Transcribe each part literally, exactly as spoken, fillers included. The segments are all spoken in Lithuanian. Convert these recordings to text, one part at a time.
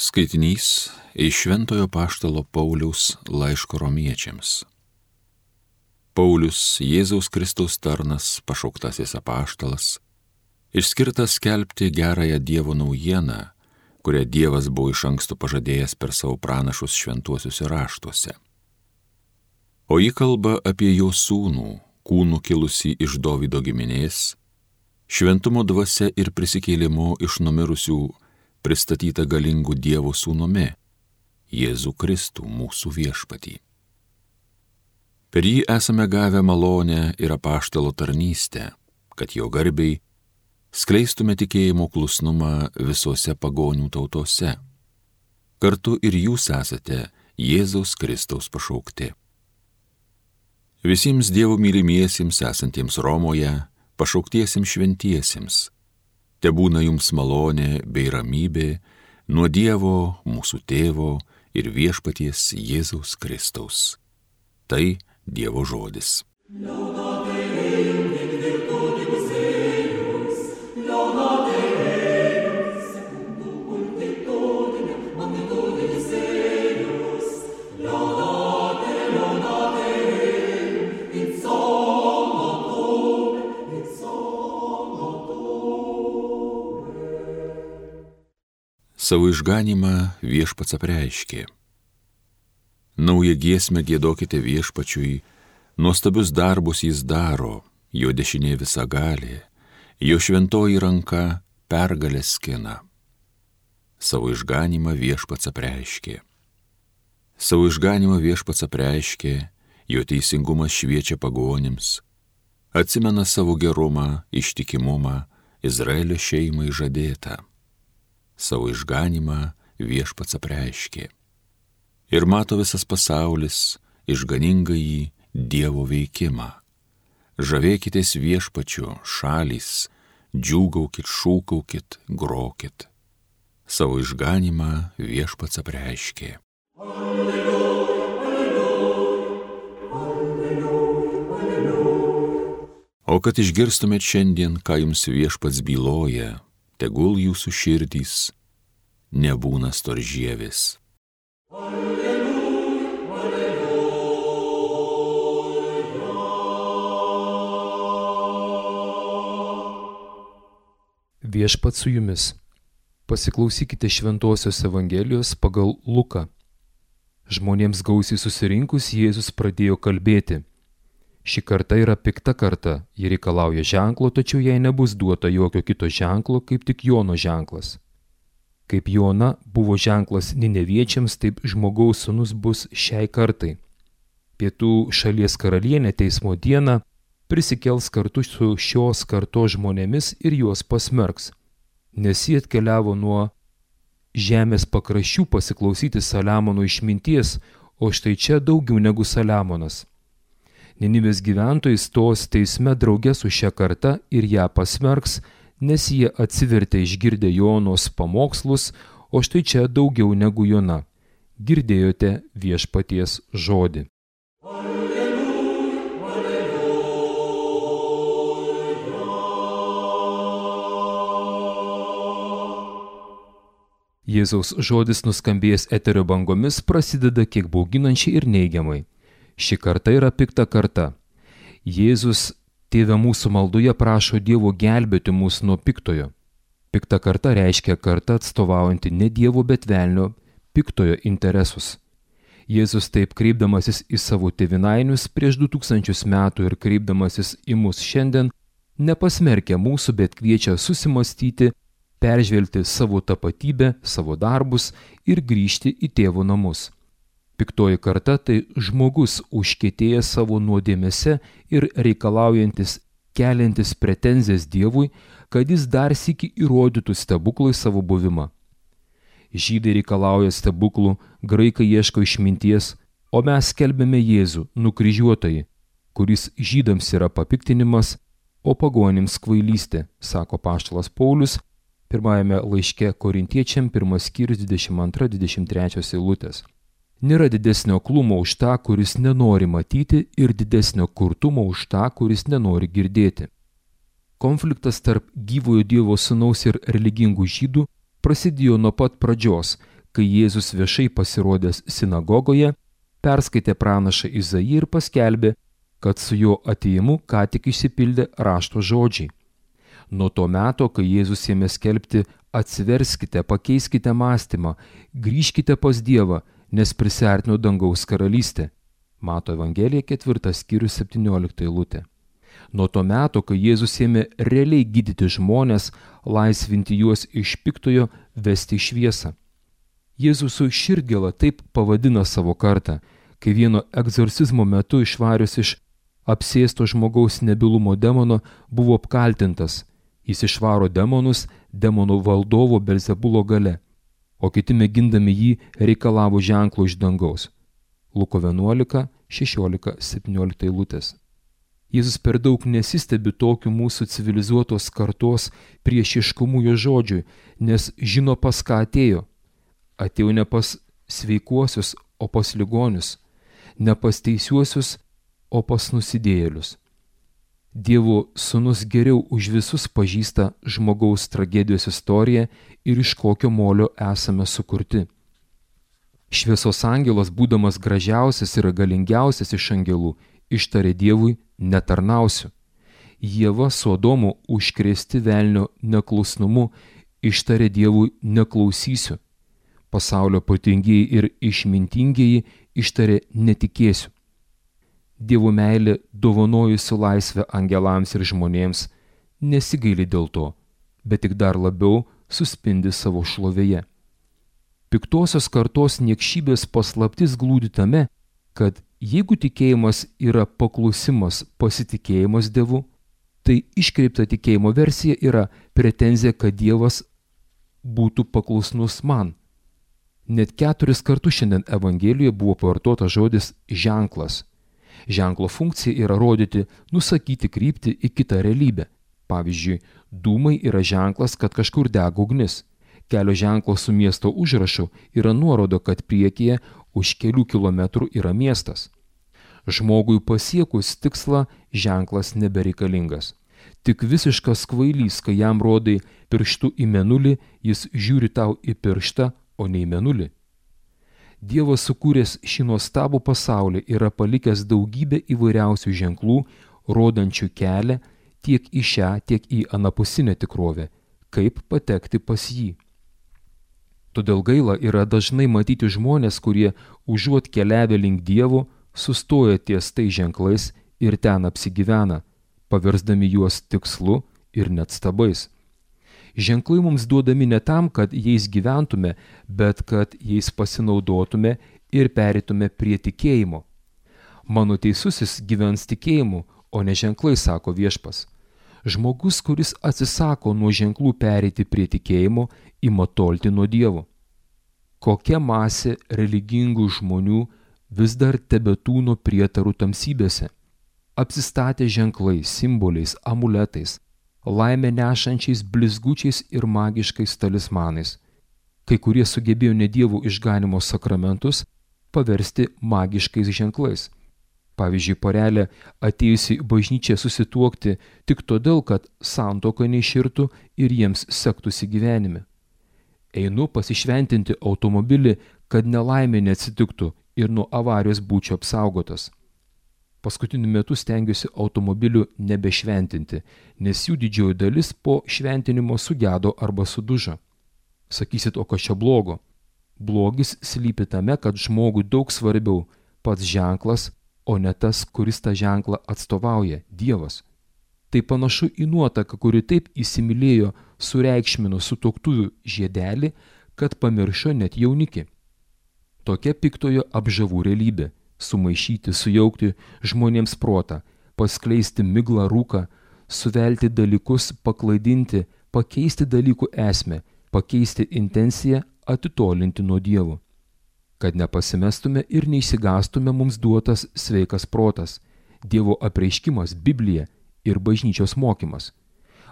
Skaitinys iš Šventojo apaštalo Pauliaus laiško romiečiams. Paulius, Jėzaus Kristaus tarnas, pašauktasis apaštalas, išskirtas skelbti gerąją Dievo naujieną, kurią Dievas buvo iš anksto pažadėjęs per savo pranašus šventuosiuose raštuose. O ji kalba apie jo sūnų, kūnų kilusį iš Dovydo giminės, šventumo dvasia ir prisikėlimu iš numirusių pristatyta galingų Dievo sūnumi, Jėzų Kristų mūsų viešpatį. Per jį esame gavę malonę ir apaštalo tarnystę, kad jo garbiai skleistume tikėjimo klusnumą visose pagonių tautose. Kartu ir jūs esate Jėzaus Kristaus pašaukti. Visiems Dievo mylimiesiems esantiems Romoje, pašauktiesiems šventiesiems, tebūna jums malonė bei ramybė nuo Dievo, mūsų Tėvo ir viešpaties Jėzaus Kristaus. Tai Dievo žodis. Savo išganymą viešpats apreiškė. Naują giesmę giedokite viešpačiui, nuostabius darbus jis daro, jo dešinė visagalė, jo šventoji ranka pergalę skina. Savo išganymą viešpats apreiškė. Savo išganymą viešpats apreiškė, jo teisingumas šviečia pagonims, atsimena savo gerumą, ištikimumą, Izraelio šeimai žadėtą. Savo išganymą viešpats apreiškė. Ir mato visas pasaulis išganingąjį Dievo veikimą. Žavėkitės viešpačiu, šalys, džiūgaukit, šūkaukit, grokit. Savo išganymą viešpats apreiškė. Alleluja, alleluja, alleluja, alleluja. O kad išgirstumėt šiandien, ką jums viešpats byloja, tegul jūsų širdys nebūna storžievės. Alleluja, alleluja. Viešpats su jumis. Pasiklausykite Šventosios Evangelijos pagal Luką. Žmonėms gausiai susirinkus Jėzus pradėjo kalbėti. Ši karta yra pikta karta, ji reikalauja ženklo, tačiau jai nebus duota jokio kito ženklo, kaip tik Jono ženklas. Kaip Jona buvo ženklas Nineviečiams, taip žmogaus sūnus bus šiai kartai. Pietų šalies karalienė teismo dieną prisikels kartu su šios kartos žmonėmis ir juos pasmerks, nes jie atkeliavo nuo žemės pakraščių pasiklausyti Saliamono išminties, o štai čia daugiau negu Saliamonas. Ninivės gyventojai stos teisme drauge su šia karta ir ją pasmerks, nes jie atsivertė išgirdę Jonos pamokslus, o štai čia daugiau negu Jona. Girdėjote viešpaties žodį. Alleluja, alleluja. Jėzaus žodis nuskambėjęs eterio bangomis prasideda kiek bauginančiai ir neigiamai. Ši karta yra pikta karta. Jėzus Tėve mūsų maldoje prašo Dievo gelbėti mus nuo piktojo. Pikta karta reiškia karta atstovaujanti ne Dievo, bet velnio piktojo interesus. Jėzus taip kreipdamasis į savo tėvynainius prieš du tūkstančius metų ir kreipdamasis į mus šiandien, nepasmerkia mūsų, bet kviečia susimastyti, peržvelgti savo tapatybę, savo darbus ir grįžti į Tėvo namus. Piktoji karta tai žmogus užkietėjęs savo nuodėmėse ir reikalaujantis, keliantis pretenzijas Dievui, kad jis dar sykį įrodytų stebuklui savo buvimą. Žydai reikalauja stebuklų, graikai ieško išminties, o mes skelbiame Jėzų, nukryžiuotąjį, kuris žydams yra papiktinimas, o pagonims kvailystė, sako apaštalas Paulius, pirmajame laiške Korintiečiam, pirmas skyrius dvidešimt antra dvidešimt trečia eilutės. Nėra didesnio aklumo už tą, kuris nenori matyti, ir didesnio kurtumo už tą, kuris nenori girdėti. Konfliktas tarp gyvojo Dievo sūnaus ir religingų žydų prasidėjo nuo pat pradžios, kai Jėzus viešai pasirodęs sinagogoje, perskaitė pranašą Izaiją ir paskelbė, kad su jo atėjimu ką tik išsipildė rašto žodžiai. Nuo to meto, kai Jėzus ėmė skelbti atsiverskite, pakeiskite mąstymą, grįžkite pas Dievą, nes prisiartino dangaus karalystė. Mato Evangelija ketvirtas skyrius septyniolikta eilutė. Nuo to meto, kai Jėzus ėmė realiai gydyti žmones, laisvinti juos iš piktojo, vesti į šviesą. Jėzus su širdgėla taip pavadina savo kartą, kai vieno egzorcizmo metu išvarius iš apsėsto žmogaus nebylumo demono buvo apkaltintas. Jis išvaro demonus demonų valdovo Belzebulo gale, o kiti mėgindami jį reikalavo ženklo iš dangaus. Luko vienuolika, šešiolika, septyniolika eilutės. Jėzus per daug nesistebi tokiu mūsų civilizuotos kartos priešiškumu jo žodžiui, nes žino pas ką atėjo. Atėjo ne pas sveikuosius, o pas ligonius, ne pas teisiuosius, o pas nusidėjėlius. Dievo sūnus geriau už visus pažįsta žmogaus tragedijos istoriją ir iš kokio molio esame sukurti. Šviesos angelas, būdamas gražiausias ir galingiausias iš angelų, ištarė Dievui netarnausiu. Ieva su Adomu užkrėsti velnio neklusnumu ištarė Dievui neklausysiu. Pasaulio protingieji ir išmintingieji ištarė netikėsiu. Dievo meilė, dovanojusi laisvę angelams ir žmonėms, nesigaili dėl to, bet tik dar labiau suspindi savo šlovėje. Piktosios kartos niekšybės paslaptis glūdi tame, kad jeigu tikėjimas yra paklusimas, pasitikėjimas Dievu, tai iškreipta tikėjimo versija yra pretenzija, kad Dievas būtų paklusnus man. Net keturis kartus šiandien Evangelijoje buvo pavartotas žodis ženklas. Ženklo funkcija yra rodyti, nusakyti kryptį į kitą realybę. Pavyzdžiui, dūmai yra ženklas, kad kažkur dega ugnis. Kelio ženklas su miesto užrašu yra nuorodo, kad priekyje už kelių kilometrų yra miestas. Žmogui pasiekus tikslą ženklas nebereikalingas. Tik visiškas kvailys, kai jam rodai pirštu į mėnulį, jis žiūri tau į pirštą, o ne į mėnulį. Dievas sukūręs šį nuostabų pasaulį yra palikęs daugybę įvairiausių ženklų, rodančių kelią tiek į šią, tiek į anapusinę tikrovę, kaip patekti pas jį. Todėl gaila yra dažnai matyti žmonės, kurie užuot keliavę link Dievo, sustoja ties tai ženklais ir ten apsigyvena, paversdami juos tikslu ir net stabais. Ženklai mums duodami ne tam, kad jais gyventume, bet kad jais pasinaudotume ir pereitume prie tikėjimo. Mano teisusis gyvens tikėjimu, o ne ženklai, sako Viešpas. Žmogus, kuris atsisako nuo ženklų pereiti prie tikėjimo, ima tolti nuo Dievo. Kokia masė religingų žmonių vis dar tebetūno prietarų tamsybėse, apsistatę ženklais, simboliais, amuletais, laimę nešančiais blizgučiais ir magiškais talismanais. Kai kurie sugebėjo ne Dievo išganimo sakramentus paversti magiškais ženklais. Pavyzdžiui, porelė atėjusi į bažnyčią susituokti tik todėl, kad santuoka neiširtų ir jiems sektųsi gyvenime. Einu pasišventinti automobilį, kad nelaimė neatsitiktų ir nuo avarijos būčiau apsaugotas. Paskutiniu metu stengiuosi automobilių nebešventinti, nes jų didžioji dalis po šventinimo sugedo arba sudužo. Sakysit, o kas čia blogo? Blogis slypi tame, kad žmogui daug svarbiau pats ženklas, o ne tas, kuris tą ženklą atstovauja – Dievas. Tai panašu į nuotaką, kuri taip įsimylėjo sureikšmino sutuoktuvių žiedelį, kad pamiršo net jaunikį. Tokia piktojo apžavų realybė. Sumaišyti, sujaukti žmonėms protą, paskleisti miglą rūką, suvelti dalykus, paklaidinti, pakeisti dalykų esmę, pakeisti intenciją, atitolinti nuo Dievo. Kad nepasimestume ir neišsigąstume mums duotas sveikas protas, Dievo apreiškimas, Biblija ir bažnyčios mokymas.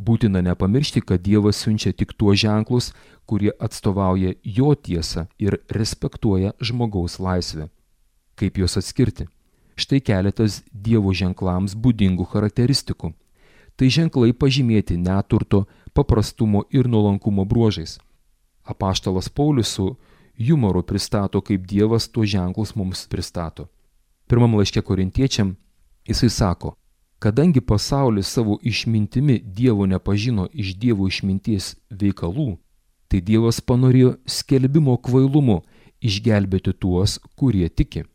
Būtina nepamiršti, kad Dievas siunčia tik tuos ženklus, kurie atstovauja jo tiesą ir respektuoja žmogaus laisvę. Kaip juos atskirti? Štai keletas Dievo ženklams būdingų charakteristikų. Tai ženklai pažymėti neturto, paprastumo ir nuolankumo bruožais. Apaštalas Paulius su jumoru pristato, kaip Dievas tuos ženklus mums pristato. Pirmam laiške Korintiečiam jisai sako, kadangi pasaulis savo išmintimi Dievo nepažino iš Dievo išminties veikalų, tai Dievas panorėjo skelbimo kvailumu išgelbėti tuos, kurie tiki.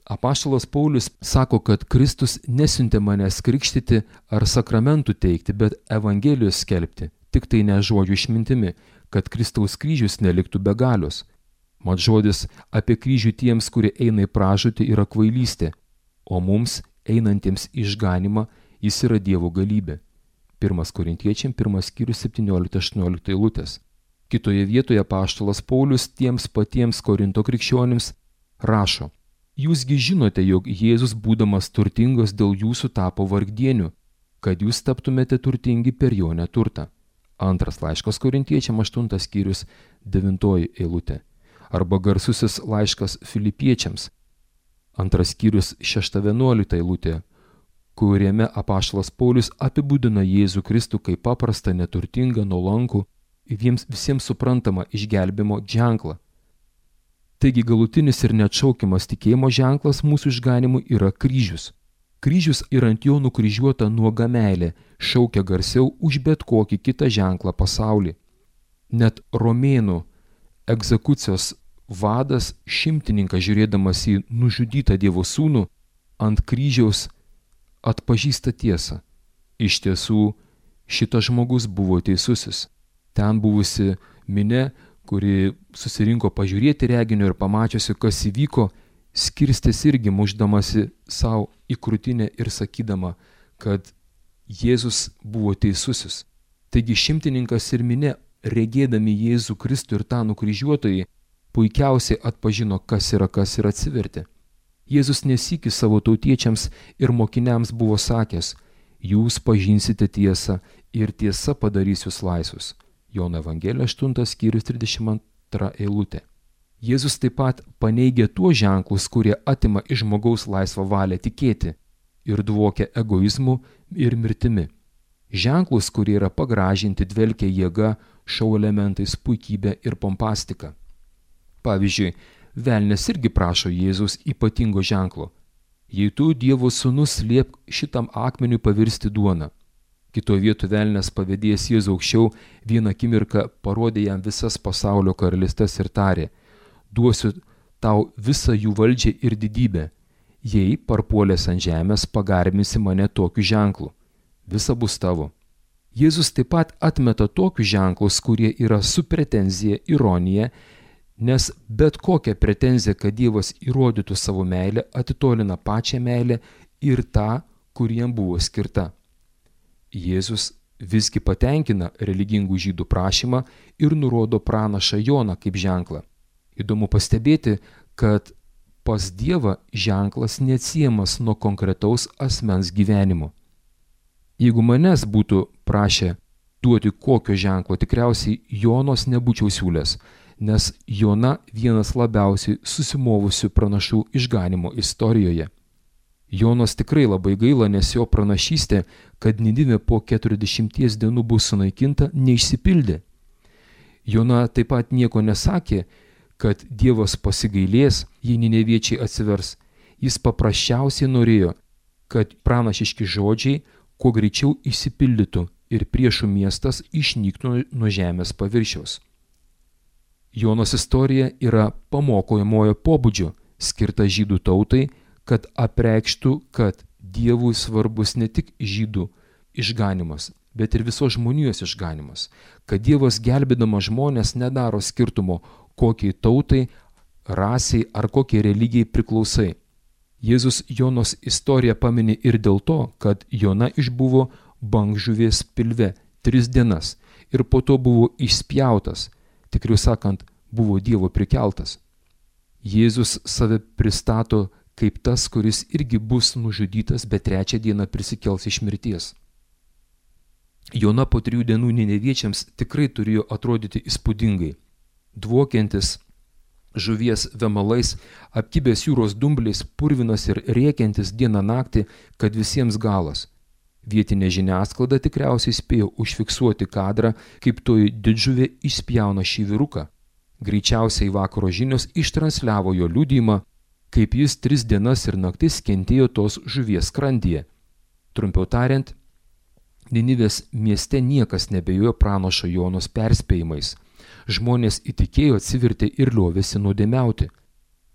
Apaštalas Paulius sako, kad Kristus nesiuntė manęs krikštyti ar sakramentų teikti, bet Evangelijos skelbti, tik tai ne žodžių išmintimi, kad Kristaus kryžius neliktų be galios. Mat žodis apie kryžių tiems, kurie eina į pražūtį, yra kvailystė, o mums, einantiems išganimą, jis yra Dievo galybė. Pirmas Korintiečiam, pirmas skyrius, septyniolikta aštuoniolikta eilutės. Kitoje vietoje apaštalas Paulius tiems patiems Korinto krikščionims rašo, Jūsgi žinote, jog Jėzus būdamas turtingas dėl jūsų tapo vargdieniu, kad jūs taptumėte turtingi per jo neturtą. Antras laiškas Korintiečiam, aštuntas skyrius, devintoji eilutė. Arba garsusis laiškas Filipiečiams, antras skyrius, šešta vienuolikta eilutė, kuriame apaštalas Paulius apibūdina Jėzų Kristų kaip paprastą, neturtingą, nuolankų, jiems visiems suprantamą išgelbimo ženklą. Taigi galutinis ir neatšaukiamas tikėjimo ženklas mūsų išganimui yra kryžius. Kryžius ir ant jo nukryžiuota nuoga meilė šaukia garsiau už bet kokį kitą ženklą pasaulį. Net romėnų egzekucijos vadas šimtininkas, žiūrėdamas į nužudytą Dievo sūnų ant kryžiaus, atpažįsta tiesą. Iš tiesų, šitas žmogus buvo teisusis. Ten buvusi minia, kuri susirinko pažiūrėti reginio ir pamačiusi, kas įvyko, skirstės irgi mušdamasi savo į krūtinę ir sakydama, kad Jėzus buvo teisusis. Taigi šimtininkas ir minia, regėdami Jėzų Kristų ir tą nukryžiuotojį, puikiausiai atpažino, kas yra kas ir atsivertė. Jėzus nesykį savo tautiečiams ir mokiniams buvo sakęs, jūs pažinsite tiesą ir tiesa padarys jūs laisvus. Jono Evangelija aštuntas skyrius trisdešimt antra eilutė. Jėzus taip pat paneigia tuos ženklus, kurie atima iš žmogaus laisvą valią tikėti ir dvokia egoizmu ir mirtimi. Ženklus, kurie yra pagražinti, dvelkia jėga, šou elementais, puikybė ir pompastika. Pavyzdžiui, velnias irgi prašo Jėzaus ypatingo ženklo. Jei tu, Dievo sūnus, liepk šitam akmeniui pavirsti duoną. Kitoje vietoje velnias pavėdėjęs Jėzų aukščiau vieną akimirką parodė jam visas pasaulio karalystes ir tarė, duosiu tau visą jų valdžią ir didybę, jei parpuolęs ant žemės pagarbinsi mane tokiu ženklu. Visa bus tavo. Jėzus taip pat atmeta tokius ženklus, kurie yra su pretenzija, ironija, nes bet kokia pretenzija, kad Dievas įrodytų savo meilę, atitolina pačią meilę ir tą, kuriem buvo skirta. Jėzus visgi patenkina religingų žydų prašymą ir nurodo pranašą Joną kaip ženklą. Įdomu pastebėti, kad pas Dievą ženklas neatsiejamas nuo konkretaus asmens gyvenimo. Jeigu manęs būtų prašę duoti kokio ženklo, tikriausiai Jonos nebūčiau siūlęs, nes Jona vienas labiausiai susimovusių pranašų išganimo istorijoje. Jonos tikrai labai gaila, nes jo pranašystė, kad Nidivė po keturiasdešimties dienų bus sunaikinta, neišsipildė. Jona taip pat nieko nesakė, kad Dievas pasigailės, jei nineviečiai atsivers. Jis paprasčiausiai norėjo, kad pranašiški žodžiai kuo greičiau išsipildytų ir priešų miestas išnyktų nuo žemės paviršiaus. Jonos istorija yra pamokojamojo pobūdžio, skirta žydų tautai, kad apreikštų, kad Dievui svarbus ne tik žydų išganimas, bet ir visos žmonijos išganimas, kad Dievas gelbėdamas žmonės nedaro skirtumo, kokiai tautai, rasiai ar kokiai religijai priklausai. Jėzus Jonos istoriją pamini ir dėl to, kad Jona išbuvo bangžuvės pilve tris dienas ir po to buvo išspjautas, tikriau sakant, buvo Dievo prikeltas. Jėzus save pristato kaip tas, kuris irgi bus nužudytas, bet trečią dieną prisikels iš mirties. Jona po trijų dienų nineviečiams tikrai turėjo atrodyti įspūdingai. Dvokiantis žuvies vemalais, apkibęs jūros dumbliais, purvinas ir rėkiantis dieną naktį, kad visiems galas. Vietinė žiniasklaida tikriausiai spėjo užfiksuoti kadrą, kaip toji didžuvė išspjauna šį vyruką. Greičiausiai vakaro žinios ištransliavo jo liudijimą, kaip jis tris dienas ir naktis kentėjo tos žuvies skrandyje. Trumpiau tariant, Ninivės mieste niekas nebejojo pranašo Jonos perspėjimais. Žmonės įtikėjo, atsivertė ir liovėsi nuodėmiauti.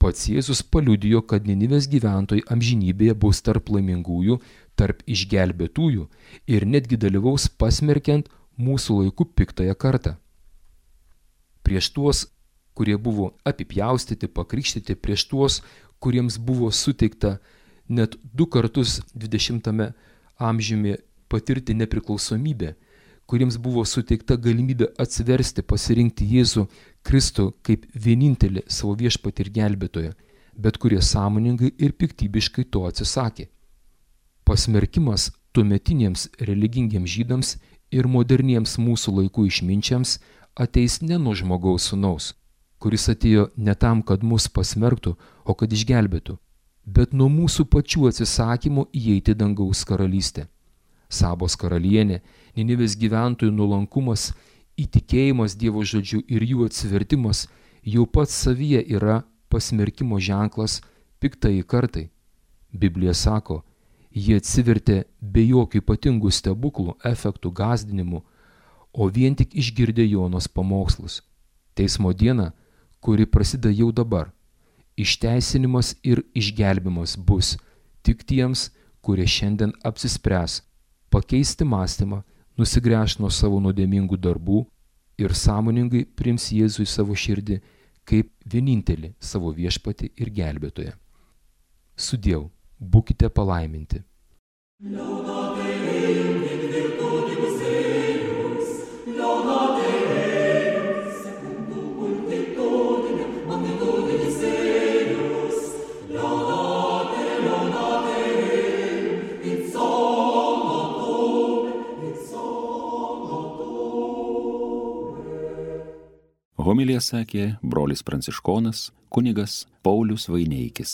Pats Jėzus paliudijo, kad Ninivės gyventojai amžinybėje bus tarp laimingųjų, tarp išgelbėtųjų ir netgi dalyvaus pasmerkiant mūsų laikų piktąją kartą. Prieš tuos, kurie buvo apipjaustyti, pakrikštyti, prieš tuos, kuriems buvo suteikta net du kartus dvidešimtame amžiumi patirti nepriklausomybę, kuriems buvo suteikta galimybė atsiversti, pasirinkti Jėzų Kristų kaip vienintelį savo viešpatį ir gelbėtoją, bet kurie sąmoningai ir piktybiškai to atsisakė. Pasmerkimas tuometiniams religingiems žydams ir moderniems mūsų laikų išminčiams ateis ne nuo žmogaus sūnaus, kuris atėjo ne tam, kad mus pasmerktų, o kad išgelbėtų, bet nuo mūsų pačių atsisakymo įeiti dangaus karalystę. Sabos karalienė, Ninivės gyventojų nuolankumas, įtikėjimas Dievo žodžiu ir jų atsivertimas jau pats savyje yra pasmerkimo ženklas piktai kartai. Biblija sako, jie atsivertė be jokių ypatingų stebuklų, efektų, gąsdinimų, o vien tik išgirdę Jonos pamokslus. Teismo diena, kuri prasideda jau dabar, išteisinimas ir išgelbimas bus tik tiems, kurie šiandien apsispręs pakeisti mąstymą, nusigręš nuo savo nuodėmingų darbų ir sąmoningai priims Jėzų į savo širdį kaip vienintelį savo viešpatį ir gelbėtoją. Sudiev, būkite palaiminti. Homiliją sakė brolis pranciškonas kunigas Paulius Vaineikis.